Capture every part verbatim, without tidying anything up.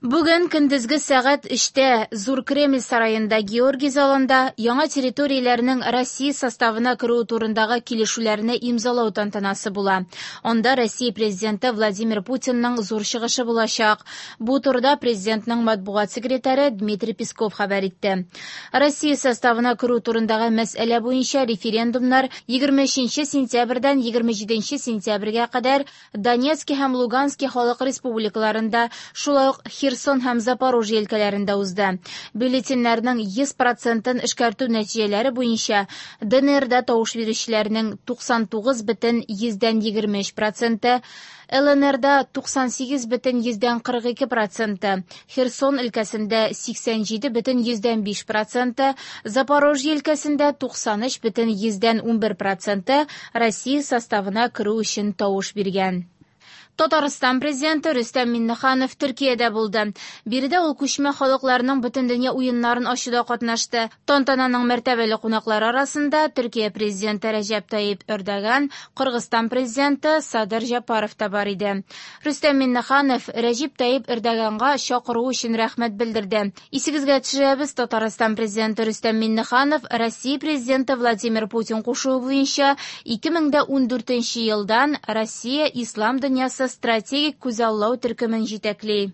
Бүген көндезге сәгать өчтә Зур Кремль сараенда Георгий залында яңа территорияләрнең Россия составына керүе турындагы килешүләрне имзалау тантанасы була. Анда Россия президенты Владимир Путинның зур чыгышы булачак. Бу турыда президентның матбугат секретаре Дмитрий Песков хәбәр итте. Россия составына керү турындагы мәсьәлә буенча референдумнар егерме өченче сентябрьдән егерме җиденче сентябрьгә кадәр Донецк һәм Луганск халык республикаларында, шулай ук Херсон һәм Запорожье өлкәләрендә узды. Бюллетеньнәрнең йөз процентын эшкәртү нәтиҗәләре буенча ДНРда тавыш бирүчеләрнең туксан тугыз бөтен йөздән егерме өч проценты, ЛНРда туксан сигез бөтен йөздән кырык ике проценты, Херсон өлкәсендә сиксән җиде бөтен йөздән биш проценты, Запорожье өлкәсендә туксан өч бөтен йөздән унбер проценты Россия составына керү өчен тавыш биргән. Татарстан президенты Рөстәм Миңнеханов Төркиядә булды. Биредә ул күчмә халыкларның бөтендөнья уеннарын ачуда катнашты. Тантананың мәртәбәле кунаклары арасында Төркия президенты Рәҗәп Тайип Эрдоган, Кыргызстан президенты Садыр Жапаров та бар иде. Рөстәм Миңнеханов Рәҗәп Тайип Эрдоганга чакыру өчен рәхмәт белдерде. Исегезгә төшерәбез, Татарстан президенты Рөстәм Миңнеханов Россия президенты Владимир Путин кушуы буенча ике мең дә ундүртенче елдан Россия Ислам дөньясы стратегик күзаллау төркемен җитәкли.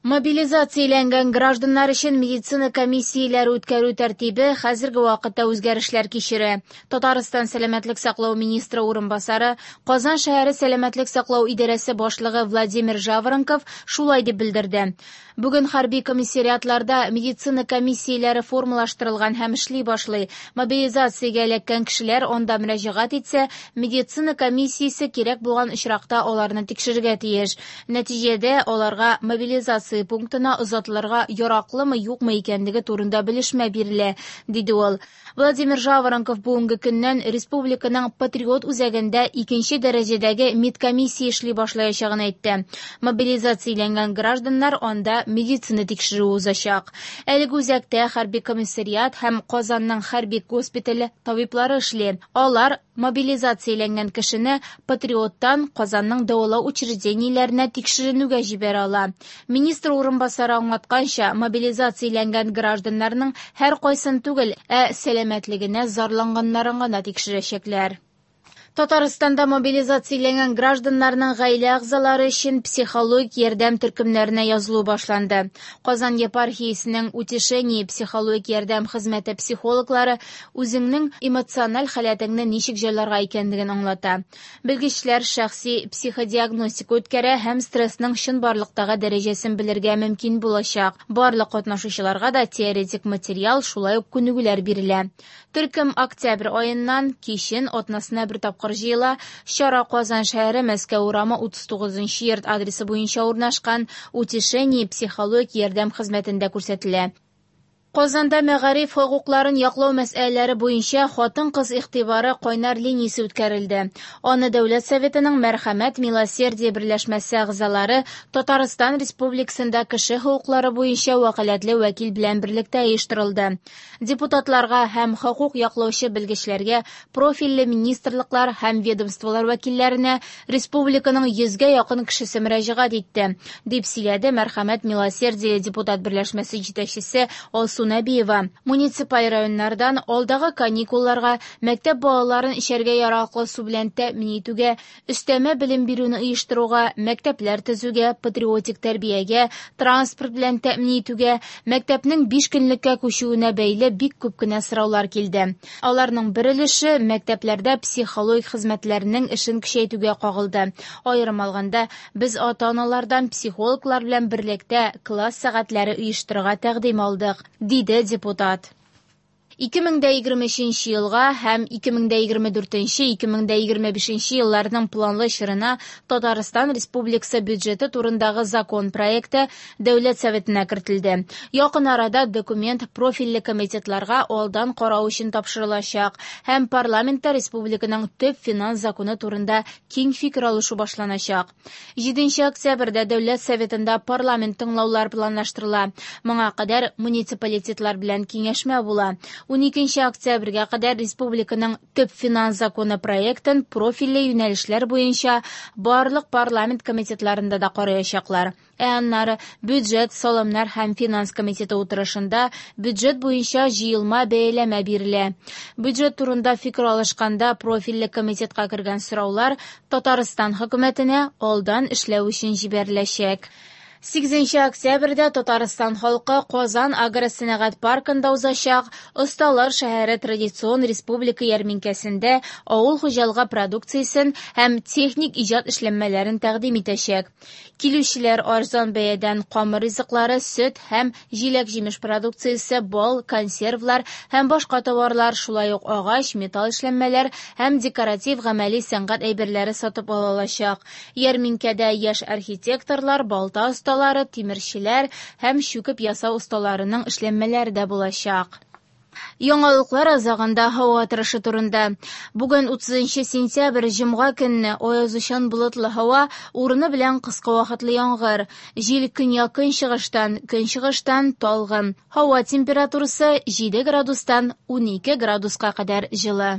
Мобилизацияләнгән гражданнар өчен медицина комиссияләре үткәрү тәртибе хәзерге вакытта үзгәрешләр кичерә. Татарстан сәламәтлек саклау министры урынбасары, Казан шәһәре сәламәтлек саклау идарәсе башлыгы Владимир Жаворонков шулай дип белдерде. Бүген хәрби комиссариатларда медицина комиссияләре формалаштырылган һәм эшли башлый. Мобилизациягә эләккән кешеләр анда мөрәҗәгать итсә, медицина комиссиясе кирәк булган очракта аларны тикшерергә тиеш. Нәтиҗәдә аларга мобилизация пунктына озатылырга яраклымы, юкмы икәнлеге турында белешмә бирелә, диде ул. Владимир Жаворонков бүгенге көннән республиканың Патриот үзәгендә икенче дәрәҗәдәге медкомиссия эшли башлаячагын әйтте. Мобилизацияләнгән гражданнар анда медицина тикшерүе узачак. Әлеге үзәктә хәрби комиссариат һәм Казанның хәрби госпитале табиблары эшли. Алар мобилизацияләнгән кешене Патриоттан Казанның дәвалау учреждениеләренә тикшеренүгә җибәрә ала. Министр урынбасары аңлатканча, мобилизацияләнгән гражданнарның һәр кайсын түгел, ә сәламәтлегенә зарланганнарын гына тикшерәчәкләр. Татарстанда мобилизацияләнгән гражданнарның гаилә әгъзалары өчен психологик ярдәм төркемнәренә язылу башланды. Казан епархиясенең Утешение психологик ярдәм хезмәте психологлары үзеңнең эмоциональ халәтеңне ничек җайларга икәнлеген аңлата. Белгечләр шәхси психодиагностика үткәрә һәм стрессның чынбарлыктагы дәрәҗәсен белергә мөмкин булачак. Барлык катнашучыларга да теоретик материал, шулай ук күнегүләр бирелә. Төркем октябрь аеннан кичен атнасына бер тапкыр җыела. Чара Казан шәһәре Мәскәү урамы утыз тугызынчы йорт адресы буенча урнашкан Утешение психологик ярдәм хезмәтендә күрсәтелә. Казанда мәгариф хокукларын яклау мәсьәләләре буенча хатын-кыз игътибары кайнар линиясе үткәрелде. Аны Дәүләт Советының Мәрхәмәт Милосердие берләшмәсе әгъзалары Татарстан Республикасында кеше хокуклары буенча вәкаләтле вәкил белән берлектә оештырылды. Депутатларга һәм хокук яклаучы белгечләргә, профильле министрлыклар һәм ведомстволар вәкилләренә республиканың йөзгә якын кешесе мөрәҗәгать итте, дип сөйләде Мәрхәмәт Милосердие депутат берләшмәсе җитәкчесе Алсу Нәбиева. Муниципаль районнардан алдагы каникулларга, мәктәп балаларын эчәргә яраклы су белән тәэмин итүгә, өстәмә белем бирүне оештыруга, мәктәпләр төзүгә, патриотик тәрбиягә, транспорт белән тәэмин итүгә, мәктәпнең биш көнлеккә күчүенә бәйле бик күп кенә сораулар килде. Аларның бер өлеше мәктәпләрдә психологик хезмәтләрнең эшен көчәйтүгә кагылды. Аерым алганда, без ата-аналардан психологлар белән берлектә класс сәгатьләре оештырырга тәкъдим алдык, диде депутат. Ике мең дә егерме өченче елга һәм ике мең дә егерме дүртенче, ике мең дә егерме бишенче елларның планлы чорына Татарстан Республикасы бюджеты турындагы закон проекты Дәүләт Советына кертелде. Якын арада документ профильле комитетларга алдан карау өчен тапшырылачак һәм парламентта республиканың төп финанс законы турында киң фикер алышу башланачак. Җиденче октябрьдә Дәүләт Советында парламент тыңлаулар планлаштырыла. Моңа кадәр муниципалитетлар белән киңәшмә була. Уникенче октябрьгә кадәр республиканың төп финанс законы проектын профильле юнәлешләр буенча барлык парламент комитетларында да караячаклар. Ә аннары бюджет, салымнар һәм финанс комитеты утырышында бюджет буенча җыелма бәяләмә бирелә. Бюджет турында фикер алышканда профильле комитетка кергән сораулар Татарстан хөкүмәтенә алдан эшләү өчен җибәреләчәк. Сигезенче октябрьдә Татарстан халкы Казан агросәнәгать паркында узачак Осталар шәһәре традицион республика ярминкәсендә авыл хуҗалыгы продукциясен һәм техник иҗат эшләнмәләрен тәкъдим итәчәк. Килүчеләр арзан бәядән камыр ризыклары, сөт һәм җиләк-җимеш продукциясе, бал, консервлар һәм башка товарлар, шулай ук агач, металл эшләнмәләр һәм декоратив гамәли сәнгать әйберләре сатып ала алачак. Ярминкәдә яшь архитекторлар, балта осталары, тимерчеләр һәм чүкеп ясау осталарының эшләнмәләре дә булачак. Яңалыклар азагында һава торышы турында. Бүген утызынчы сентябрь җомга көнне аязучан болытлы һава, урыны белән кыска вакытлы яңгыр. Җил көньяк-көнчыгыштан, көнчыгыштан талгын. Һава температурасы җиде градустан унике градуска кадәр җылы.